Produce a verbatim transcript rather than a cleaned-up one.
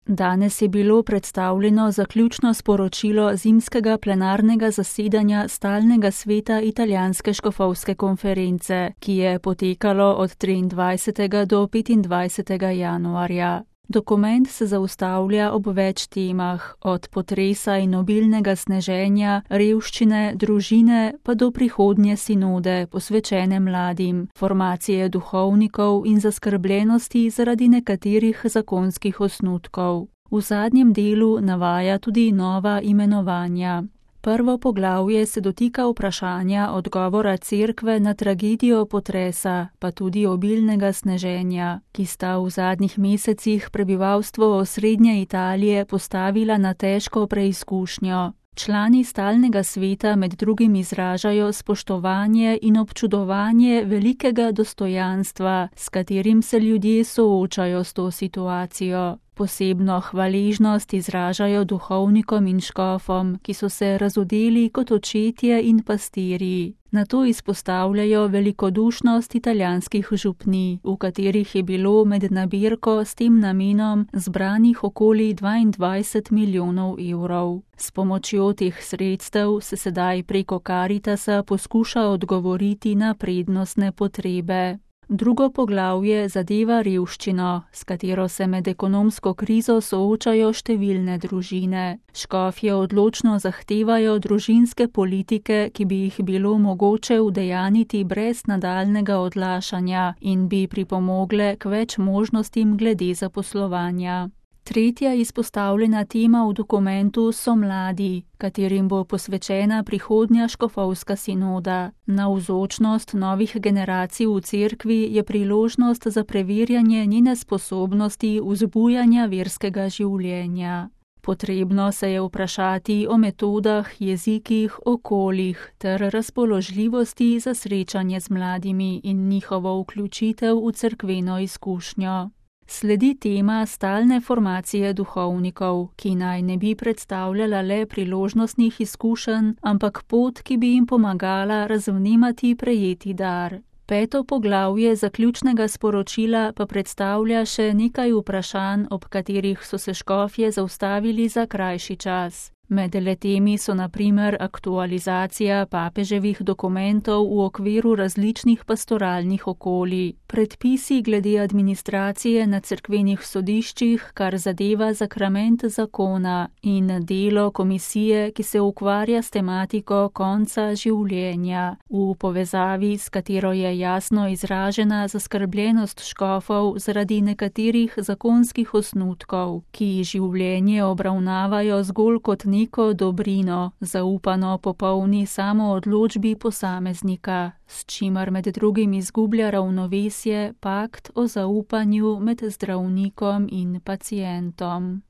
Danes je bilo predstavljeno zaključno sporočilo zimskega plenarnega zasedanja Stalnega sveta Italijanske škofovske konference, ki je potekalo od triindvajsetega do petindvajsetega januarja. Dokument se zaustavlja ob več temah, od potresa in obilnega sneženja, revščine, družine pa do prihodnje sinode, posvečene mladim, formacije duhovnikov in zaskrbljenosti zaradi nekaterih zakonskih osnutkov. V zadnjem delu navaja tudi nova imenovanja. Prvo poglavje se dotika vprašanja odgovora cerkve na tragedijo potresa, pa tudi obilnega sneženja, ki sta v zadnjih mesecih prebivalstvo osrednje Italije postavila na težko preizkušnjo. Člani stalnega sveta med drugim izražajo spoštovanje in občudovanje velikega dostojanstva, s katerim se ljudje soočajo s to situacijo. Posebno hvaležnost izražajo duhovnikom in škofom, ki so se razodeli kot očetje in pastirji. Nato izpostavljajo velikodušnost italijanskih župnij, v katerih je bilo med nabirko s tem namenom zbranih okoli dvaindvajset milijonov evrov. S pomočjo teh sredstev se sedaj preko Karitasa poskuša odgovoriti na prednostne potrebe. Drugo poglavje zadeva revščino, s katero se med ekonomsko krizo soočajo številne družine. Škofje odločno zahtevajo družinske politike, ki bi jih bilo mogoče udejaniti brez nadaljnega odlašanja in bi pripomogle k več možnostim glede zaposlovanja. Tretja izpostavljena tema v dokumentu so mladi, katerim bo posvečena prihodnja škofovska sinoda. Navzočnost novih generacij v cerkvi je priložnost za preverjanje njene sposobnosti vzbujanja verskega življenja. Potrebno se je vprašati o metodah, jezikih, okoljih ter razpoložljivosti za srečanje z mladimi in njihovo vključitev v cerkveno izkušnjo. Sledi tema stalne formacije duhovnikov, ki naj ne bi predstavljala le priložnostnih izkušenj, ampak pot, ki bi jim pomagala razvnemati prejeti dar. Peto poglavje zaključnega sporočila pa predstavlja še nekaj vprašanj, ob katerih so se škofje zaustavili za krajši čas. Med letemi so na primer aktualizacija papeževih dokumentov v okviru različnih pastoralnih okolij, predpisi glede administracije na cerkvenih sodiščih, kar zadeva zakrament zakona, in delo komisije, ki se ukvarja s tematiko konca življenja, v povezavi s katero je jasno izražena zaskrbljenost škofov zaradi nekaterih zakonskih osnutkov, ki življenje obravnavajo zgolj kot neko dobrino, zaupano popolni samoodločbi posameznika, s čimer med drugim izgublja ravnovesje pakt o zaupanju med zdravnikom in pacientom.